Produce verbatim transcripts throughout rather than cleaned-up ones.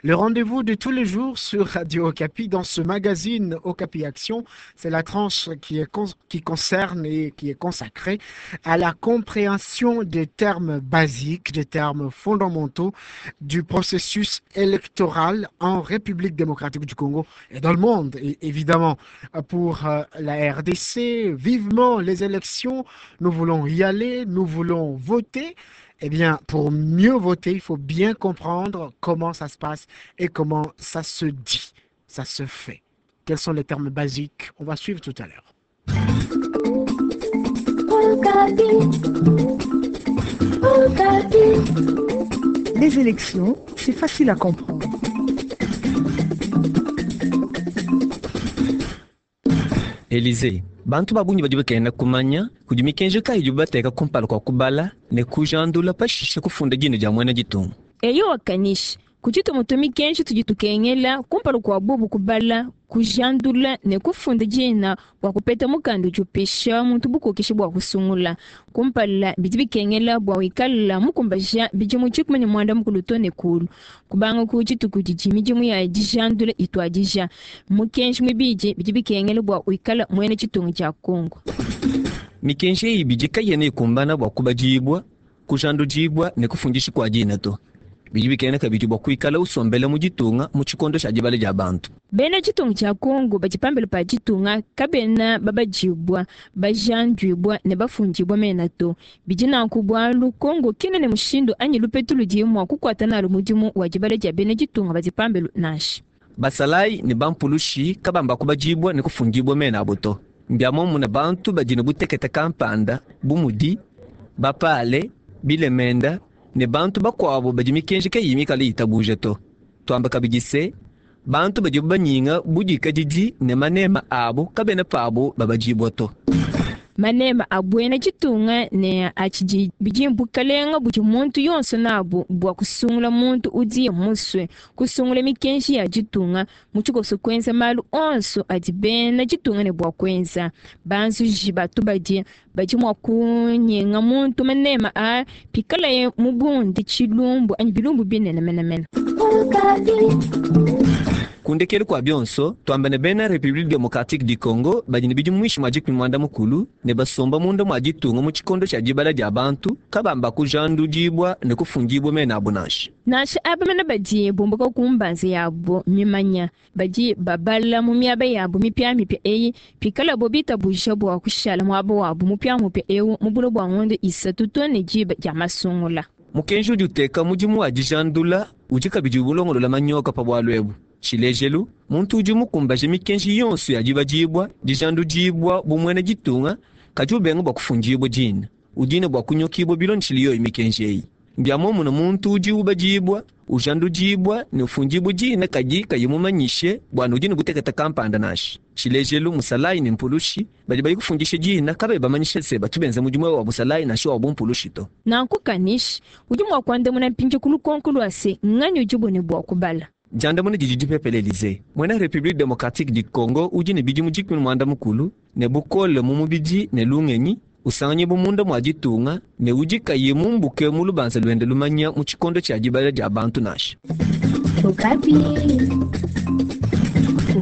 Le rendez-vous de tous les jours sur Radio Okapi dans ce magazine Okapi Action, c'est la tranche qui, est con- qui concerne et qui est consacrée à la compréhension des termes basiques, des termes fondamentaux du processus électoral en République démocratique du Congo et dans le monde. Et évidemment, pour euh, la R D C, vivement les élections, nous voulons y aller, nous voulons voter. Eh bien, pour mieux voter, il faut bien comprendre comment ça se passe et comment ça se dit, ça se fait. Quels sont les termes basiques? On va suivre tout à l'heure. Les élections, c'est facile à comprendre. Élysée. Bantu babunyi badi bakenda kumanya kudi mikenji kayi idi bateka kumpala kwa kubala ne kujandula pashishe kufunda dina dia muena ditunga. Eyo wakanisha kutshituma tu mikenji tudi tukengela kumpala kwa bubu kubala kujandula ne kufunda dina bua kupeta mukanda udi upesha muntu bukokeshi bua kusungula. Kumpala bidi bikengela bua wikala mukumbaja bidimu tshikumi ne muanda mukulu to ne kulu. Kubanga ku dituku didi midimu ya dijandula ituadija. Mukenji muibidi bidi bikengela bua wikala muena tshitungu tshia Kongo. Mikenji eyi bidi kayena ikumbana bua kubadibua, kujandudibua ne kufundisha kua dina to. Bidi bikengela kabidi bua kuikala usombela mu ditunga mu tshikondo tshia dibala dia bantu. Bena tshitungu tshia Kongo badi pambelo pa ditunga kabena babadibua, bajanduibua ne bafundibua mena to. Bidi nanku bualu Kongo kena ne mushindu anyi lupetu ludi mua kukuata nalu mudimu wa dibala dia bena ditunga badi pambelo nansha. Basalayi ne bampulushi kabamba kubadibua ne kufundibua mena abo to. Mbia momuna bantu badi ne butekete kampanda bu mudi bapale, bilemenda ne bantu bakuabo badi mikenji kayiyi mikale itabuja to. Tuamba kabidi se, bantu badi banyinga budikadidi ne manema abo kabena pabo babadibua to. Manema a buena ditunga ne a tshidi bidi bukalenga budi muntu yonso nabu bua kusungula muntu udi musue kusungula mikenji ya ditunga mu tshikoso kuenza malu onso adi bena ditunga ne bua kuenza. Banzuji batu badi badi mua kunyenga muntu manema a pikalaye mubundi tshilumbu anyi bilumbu binene menemene. Kundekelu kwa bionso, tuamba ne bena République Démocratique du Congo badi ne bidimu mwishi mwa dikumi muanda mukulu ne basomba munda mwa ditunga mu tshikondo tshia dibala dia bantu kabamba kujandudibua ne kufundibua mena abo nansha. Nansha aba mena badi bumbuka ku mbanza yabo mimanya badi babala mu miaba yabo mipiamipia eyi pikalabo bitabuja bua kushala muaba wabo mupiamupia ewu mu bulo bua ngondo isatu to ne diba dia masungula. Mukenji udi uteka mudimu wa dijandula udi kabidi ulongolola manyoka pa bualu ebu. Tshilejelu, muntu udi mukumbaje mikenji yonso ya dibadibua, dijandudibua bu muena ditunga, kadi ubenga bua kufundibua dina. Udi ne bua kunyokibua bilondeshile yoyi mikenji eyi. Mbia momuna muntu udi ubadibua, ujandudibua ne ufundibua dina kadi kayi mumanyishe bua ne udi ne butekete kampanda nansha. Tshilejelu, musalayi ne mpulushi badi bayi kufundisha dina kabayi bamanyishe se batu benza mudimu wa busalayi nansha wa bumpulushi to. Nanku kanishi, udi mua kuandamuna mpindieu ku lukonko lua se nganyi udi bune bua kubala. Diandamuna didi dipepele Elysée. Muena République Démocratique du Congo udi ne bidimu dikumi ne muanda mukulu ne bukole mu mubidi ne lungenyi, usanganye bu munda mua ditunga ne udi kayi mumbuke mu lubanza luende lumanya mu tshikondo tshia dibala dia bantu nansha. Okapi.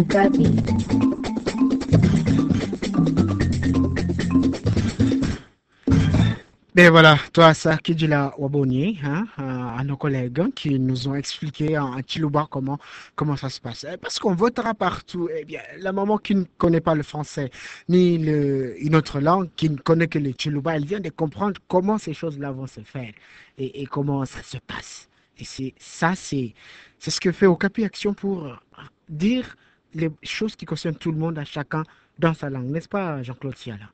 Okapi. Ben voilà, toi, ça, Kidjila Waboni, hein, à nos collègues qui nous ont expliqué en Tshiluba comment, comment ça se passe. Parce qu'on votera partout. Eh bien, la maman qui ne connaît pas le français, ni le, une autre langue, qui ne connaît que le Tshiluba, elle vient de comprendre comment ces choses-là vont se faire et, et comment ça se passe. Et c'est ça, c'est, c'est ce que fait Okapi Action pour dire les choses qui concernent tout le monde, à chacun dans sa langue. N'est-ce pas, Jean-Claude Siala?